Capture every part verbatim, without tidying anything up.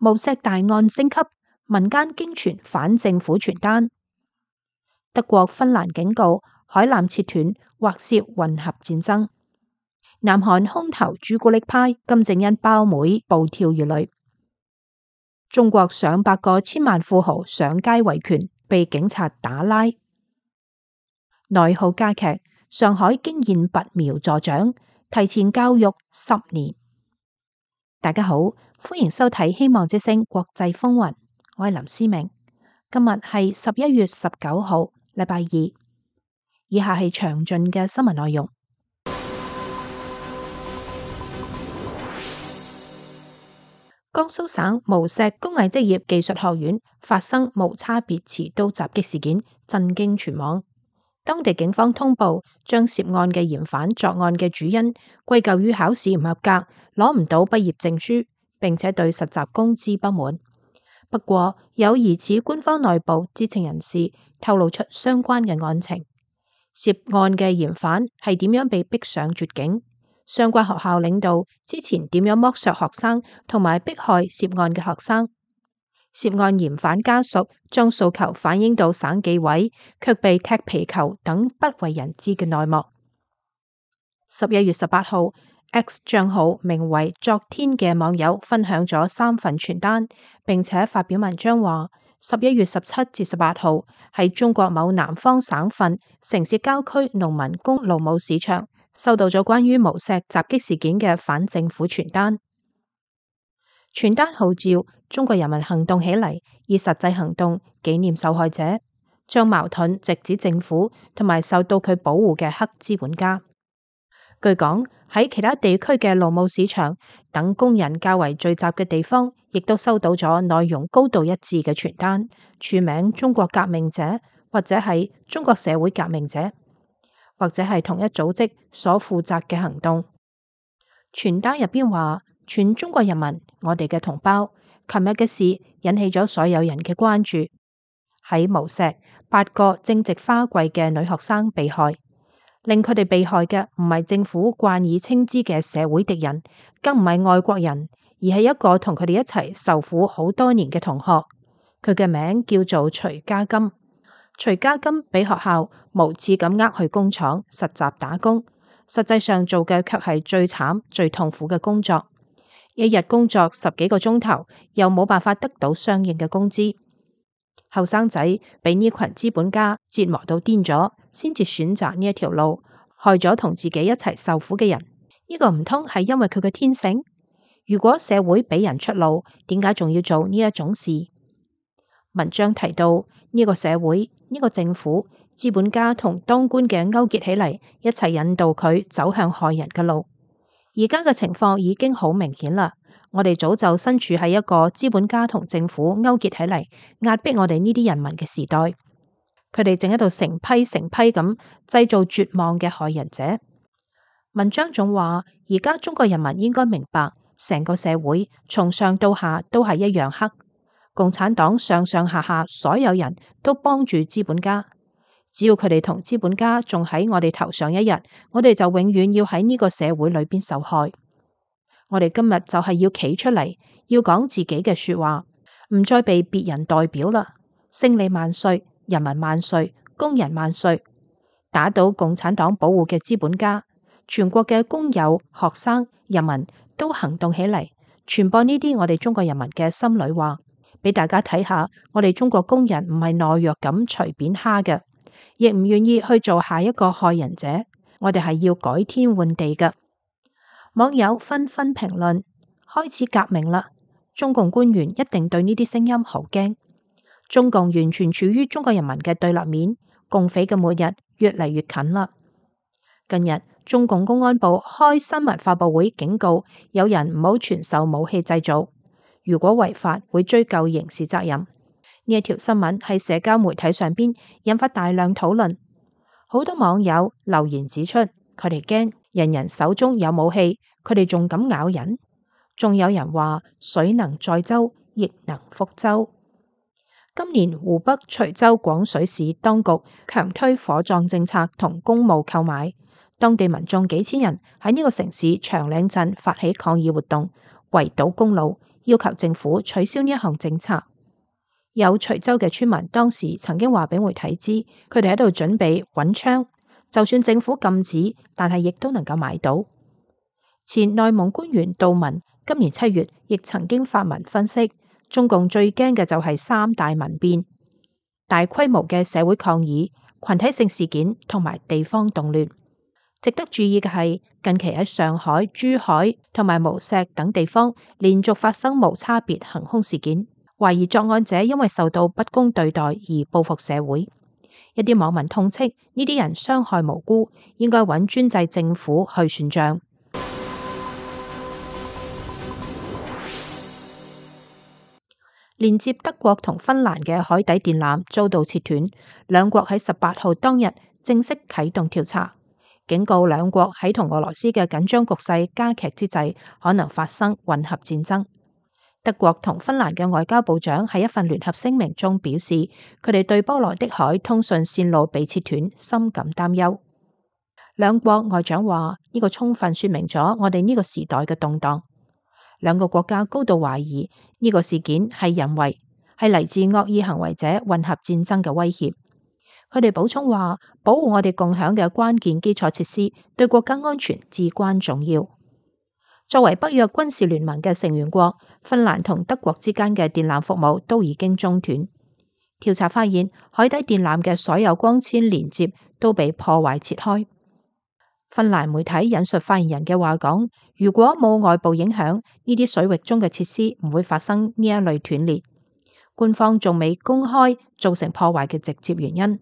無錫大案升級，民間驚傳反政府傳單。德國、芬蘭警告海纜切斷或涉混合戰爭。南韓空投朱古力派，金正恩胞妹暴跳如雷。中國上百個千萬富豪上街維權，被警察打拉。內耗加劇，上海驚現拔苗助長，提前教育十年。大家好，歡迎收睇《希望之聲國際風雲》，我係林思明。今日係十一月十九號，禮拜二。以下係詳盡嘅新聞內容。江蘇省無錫工藝職業技術學院發生無差別持刀襲擊事件，震驚全網。當地警方通報，將涉案嘅嫌犯作案嘅主因歸咎於考試唔合格，攞唔到畢業證書，並且對實習工資不滿。不過，有疑似官方內部知情人士透露出相關嘅案情。涉案嘅嫌犯係點樣被逼上絕境？相關學校領導之前點樣剝削學生同埋迫害涉案嘅學生？涉案嫌犯家屬將訴求反映到省紀委，卻被踢皮球等不為人知嘅內幕。十一月十八號 ，X 賬號名為昨天嘅網友分享咗三份傳單，並且發表文章話：十一月十七至十八號喺中國某南方省份城市郊區農民工勞務市場，收到咗關於無錫襲擊事件嘅反政府傳單。傳單號召中國人民行動起嚟，以實際行動紀念受害者，將矛盾直指政府同埋受到佢保護嘅黑資本家。據講，喺其他地區嘅勞務市場等工人較為聚集嘅地方，亦都收到咗內容高度一致嘅傳單，署名中國革命者，或者係中國社會革命者，或者係同一組織所負責嘅行動。傳單入邊話：全中國人民，我哋嘅同胞，琴日嘅事引起咗所有人嘅關注。喺無錫，八個正值花季嘅女學生被害，令佢哋被害嘅唔係政府慣以稱之嘅社會敵人，更唔係外國人，而係一個同佢哋一齊受苦好多年嘅同學。佢嘅名叫做徐家金。徐家金俾學校無恥咁呃去工廠實習打工，實際上做嘅卻係最慘最痛苦嘅工作。一日工作十幾個鐘頭，又冇辦法得到相應嘅工資。後生仔俾呢群資本家折磨到癲咗，先至選擇呢一條路，害咗同自己一齊受苦嘅人。呢個唔通係因為佢嘅天性？如果社會俾人出路，點解仲要做呢一種事？文章提到呢個社會、呢個政府、資本家同當官嘅勾結起嚟，一齊引導佢走向害人嘅路。而家嘅情況已經好明顯啦，我哋早就身處喺一個資本家同政府勾結起嚟壓迫我哋呢啲人民嘅時代。佢哋正喺度成批成批咁製造絕望嘅害人者。文章仲話，而家中國人民應該明白，成個社會從上到下都係一樣黑。共產黨上上下下所有人都幫住資本家，只要佢哋同資本家仲喺我哋頭上一日，我哋就永遠要喺呢個社會裏邊受害。我哋今日就係要企出嚟，要講自己嘅說話，唔再被別人代表啦。勝利萬歲，人民萬歲，工人萬歲！打倒共產黨保護嘅資本家，全國嘅工友、學生、人民都行動起嚟，傳播呢啲我哋中國人民嘅心裏話。俾大家睇下，我哋中國工人唔係懦弱咁隨便蝦嘅，亦唔願意去做下一個害人者。我哋係要改天換地嘅。網友紛紛評論：開始革命啦！中共官員一定對呢啲聲音好驚。中共完全處於中國人民嘅對立面，共匪嘅末日越嚟越近啦。近日，中共公安部開新聞發佈會，警告有人唔好傳授武器製造。如果違法，會追究刑事責任。呢一條新聞喺社交媒體上邊引發大量討論，好多網友留言指出，佢哋驚人人手中有武器，佢哋仲敢咬人。仲有人話水能載舟，亦能覆舟。今年湖北隨州廣水市當局強推火葬政策同公務購買，當地民眾幾千人喺呢個城市長嶺鎮發起抗議活動，圍堵公路，要求政府取消呢一項政策。有徐州嘅村民當時曾經話俾媒體知，佢哋喺度準備揾槍，就算政府禁止，但係亦都能夠買到。前內蒙官員杜文今年七月亦曾經發文分析，中共最驚嘅就係三大民變：大規模嘅社會抗議、群體性事件同埋地方動亂。值得注意嘅係，近期喺上海、珠海同埋無錫等地方連續發生無差別行兇事件，懷疑作案者因為受到不公對待而報復社會。一啲網民痛斥呢啲人傷害無辜，應該揾專制政府去算賬。連接德國同芬蘭嘅海底電纜遭到切斷，兩國喺十八號當日正式啟動調查，警告兩國喺同俄羅斯嘅緊張局勢加劇之際，可能發生混合戰爭。德國同芬蘭嘅外交部長喺一份聯合聲明中表示，佢哋對波羅的海通訊線路被切斷深感擔憂。兩國外長話，呢個充分說明咗我哋呢個時代嘅動盪。兩個國家高度懷疑呢個事件係人為，係嚟自惡意行為者混合戰爭嘅威脅。佢哋補充話，保護我哋共享嘅關鍵基礎設施對國家安全至關重要。作為北約軍事聯盟嘅成員國，芬蘭同德國之間嘅電纜服務都已經中斷。調查發現，海底電纜嘅所有光纖連接都被破壞切開。芬蘭媒體引述發言人嘅話講，如果冇外部影響，呢啲水域中嘅設施唔會發生呢一類斷裂。官方仲未公開造成破壞嘅直接原因。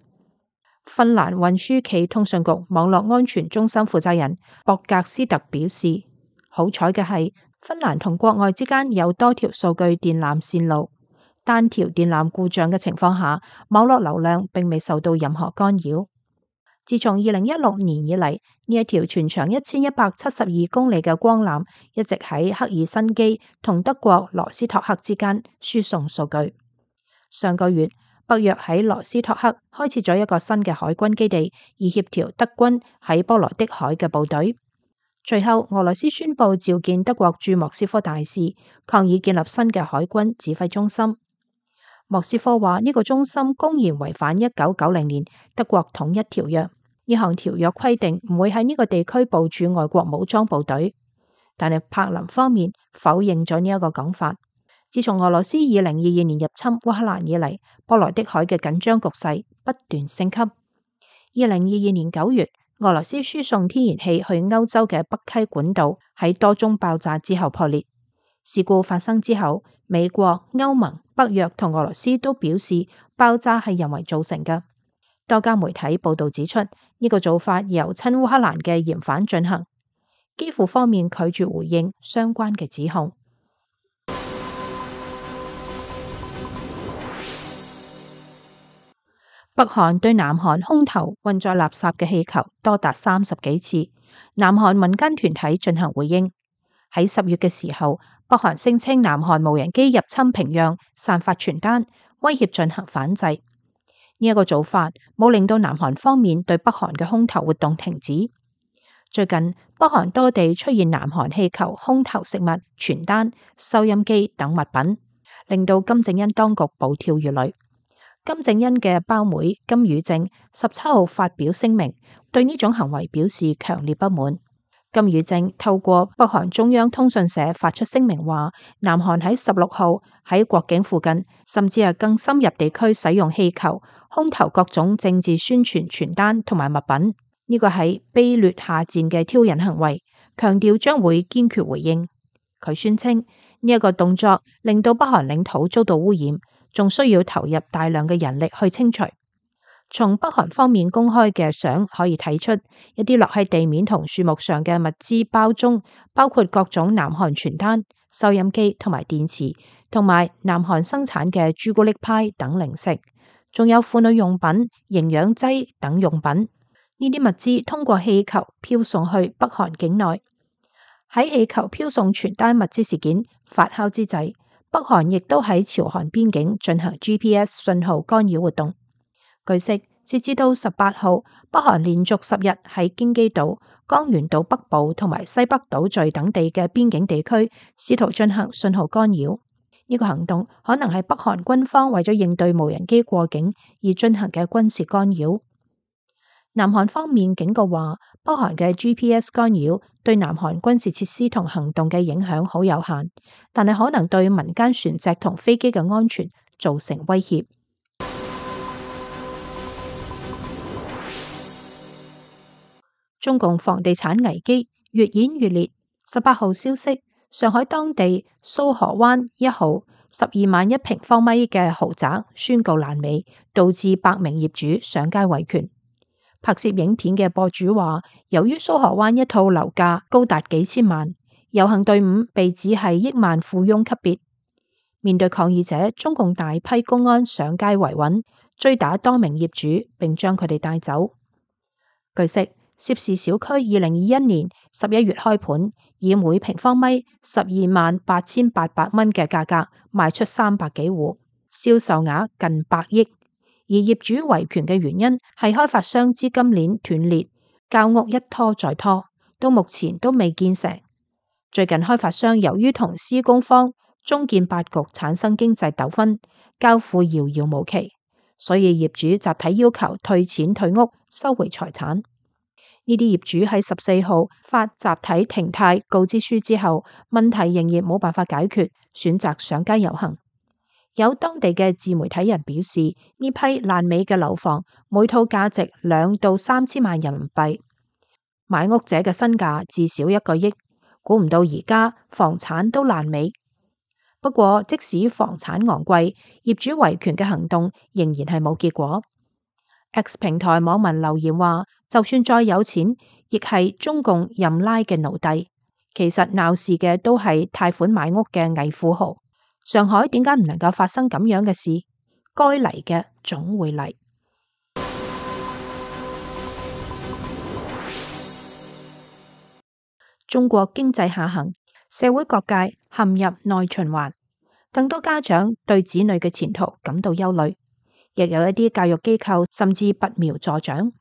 芬蘭運輸暨通訊局網絡安全中心負責人博格斯特表示，好彩嘅係芬蘭同國外之間有多條數據電纜線路，單條電纜故障嘅情況下，網絡流量並未受到任何干擾。自從二零一六年以嚟，呢一條全長一千一百七十二公里嘅光纜一直喺赫爾辛基同德國羅斯托克之間輸送數據。上個月，北約喺羅斯托克開設咗一個新嘅海軍基地，以協調德軍喺波羅的海嘅部隊。隨後，俄羅斯宣布召見德國駐莫斯科大使，抗議建立新嘅海軍指揮中心。莫斯科話呢個中心公然違反一九九零年德國統一條約。呢項條約規定唔會喺呢個地區部署外國武裝部隊，但係柏林方面否認咗呢一個講法。自從俄羅斯二零二二年入侵烏克蘭以嚟，波羅的海嘅緊張局勢不斷升級。二零二二年九月，俄羅斯輸送天然氣去歐洲嘅北溪管道喺多宗爆炸之後破裂。事故發生之後，美國、歐盟、北約同俄羅斯都表示爆炸係人為造成嘅。多家媒體報道指出，呢個做法由親烏克蘭嘅嫌犯進行。基輔方面拒絕回應相關嘅指控。北韓對南韓空投運載垃圾嘅氣球多達三十幾次，南韓民間團體進行回應。喺十月嘅時候，北韓聲稱南韓無人機入侵平壤，散發傳單，威脅進行反制。呢一個做法冇令到南韓方面對北韓嘅空投活動停止。最近北韓多地出現南韓氣球空投食物、傳單、收音機等物品，令到金正恩當局暴跳如雷。金正恩嘅胞妹金與正十七號發表聲明，對呢種行為表示強烈不滿。金與正透過北韓中央通訊社發出聲明話，南韓喺十六號喺國境附近，甚至係更深入地區使用氣球空投各種政治宣傳傳單同埋物品，呢個係卑劣下賤嘅挑釁行為，強調將會堅決回應。佢宣稱呢一個動作令到北韓領土遭到污染，仲需要投入大量嘅人力去清除。從北韓方面公開嘅相可以睇出，一啲落喺地面同樹木上嘅物資包中，包括各種南韓傳單、收音機同埋電池，同埋南韓生產嘅朱古力派等零食，仲有婦女用品、營養劑等用品。呢啲物資通過氣球飄送去北韓境內。喺氣球飄送傳單物資事件發酵之際，北韓亦都喺朝韓邊境進行 G P S 信號干擾活動。據悉，截至到十八號，北韓連續十日喺京畿道、江原道北部同埋西北島嶼等地嘅邊境地區試圖進行信號干擾。呢個行動可能係北韓軍方為咗應對無人機過境而進行嘅軍事干擾。南韓方面警告話，北韓嘅 G P S 干擾對南韓軍事設施同行動嘅影響好有限，但係可能對民間船隻同飛機嘅安全造成威脅。中共房地產危機越演越烈。十八號消息，上海當地蘇河灣一號十二萬一平方米嘅豪宅宣告爛尾，導致百名業主上街維權。拍攝影片嘅博主話，由於蘇河灣一套樓價高達幾千萬，遊行隊伍被指係億萬富翁級別。面對抗議者，中共大批公安上街維穩，追打多名業主，並將佢哋帶走。據悉，涉事小區二零二一年十一月開盤，以每平方米十二萬八千八百蚊嘅價格賣出三百幾戶，銷售額近百億。而業主維權嘅原因係開發商資金鏈斷裂，交屋一拖再拖，到目前都未建成。最近開發商由於同施工方中建八局產生經濟糾紛，交付遙遙無期，所以業主集體要求退錢退屋，收回財產。呢啲業主喺十四號發集體停貸告知書之後，問題仍然冇辦法解決，選擇上街遊行。有當地嘅自媒體人表示，呢批爛尾嘅樓房每套價值兩到三千萬人民幣，買屋者嘅身價至少一個億。估唔到而家房產都爛尾。不過即使房產昂貴，業主維權嘅行動仍然係冇結果。X 平台網民留言話，就算再有錢，亦係中共任拉嘅奴隸。其實鬧事嘅都係貸款買屋嘅偽富豪。上海點解唔能夠發生咁樣嘅事？該嚟嘅總會嚟。中國經濟下行，社會各界陷入內循環，更多家長對子女嘅前途感到憂慮，亦有一啲教育機構甚至拔苗助長。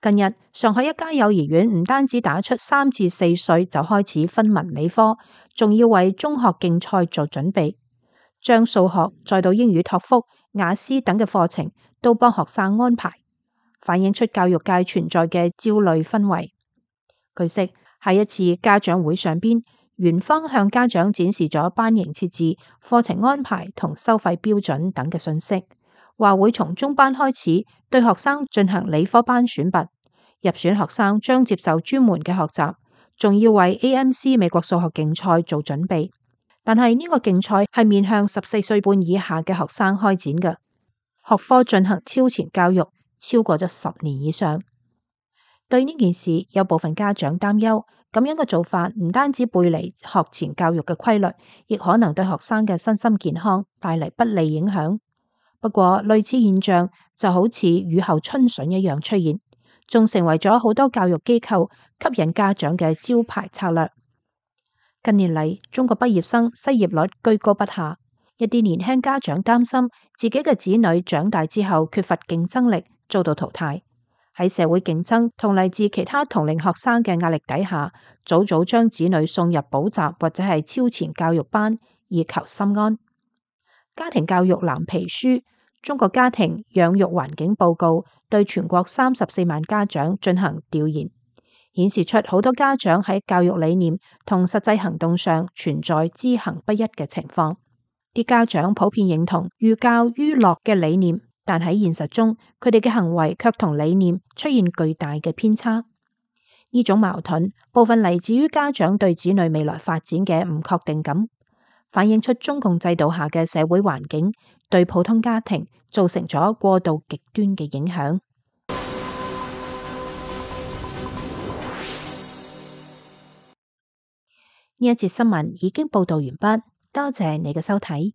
近日，上海一家幼兒園唔單止打出三至四歲就開始分文理科，仲要為中學競賽做準備，將數學再到英語托福、雅思等嘅課程都幫學生安排，反映出教育界存在嘅焦慮氛圍。據悉，喺一次家長會上邊，園方向家長展示咗班型設置、課程安排同收費標準等嘅信息，話會從中班開始對學生進行理科班選拔，入選學生將接受專門嘅學習，仲要為 A M C 美國數學競賽做準備。但係呢個競賽係面向十四歲半以下嘅學生開展嘅，學科進行超前教育超過咗十年以上。對呢件事，有部分家長擔憂，咁樣嘅做法唔單止背離學前教育嘅規律，亦可能對學生嘅身心健康帶嚟不利影響。不過類似現象就好似雨後春筍一樣出現，仲成為咗好多教育機構吸引家長嘅招牌策略。近年嚟，中國畢業生失業率居高不下，一啲年輕家長擔心自己嘅子女長大之後缺乏競爭力，遭到淘汰。喺社會競爭同嚟自其他同齡學生嘅壓力底下，早早將子女送入補習或者係超前教育班，以求心安。家庭教育藍皮書《中國家庭養育環境報告》對全國三十四萬家長進行調研，顯示出好多家長喺教育理念同實際行動上存在知行不一嘅情況。啲家長普遍認同寓教於樂嘅理念，但喺現實中，佢哋嘅行為卻同理念出現巨大嘅偏差。呢種矛盾部分嚟自於家長對子女未來發展嘅唔確定感，反映出中共制度下嘅社會環境對普通家庭造成咗過度極端嘅影響。呢一節新聞已經報道完畢，多謝你嘅收睇。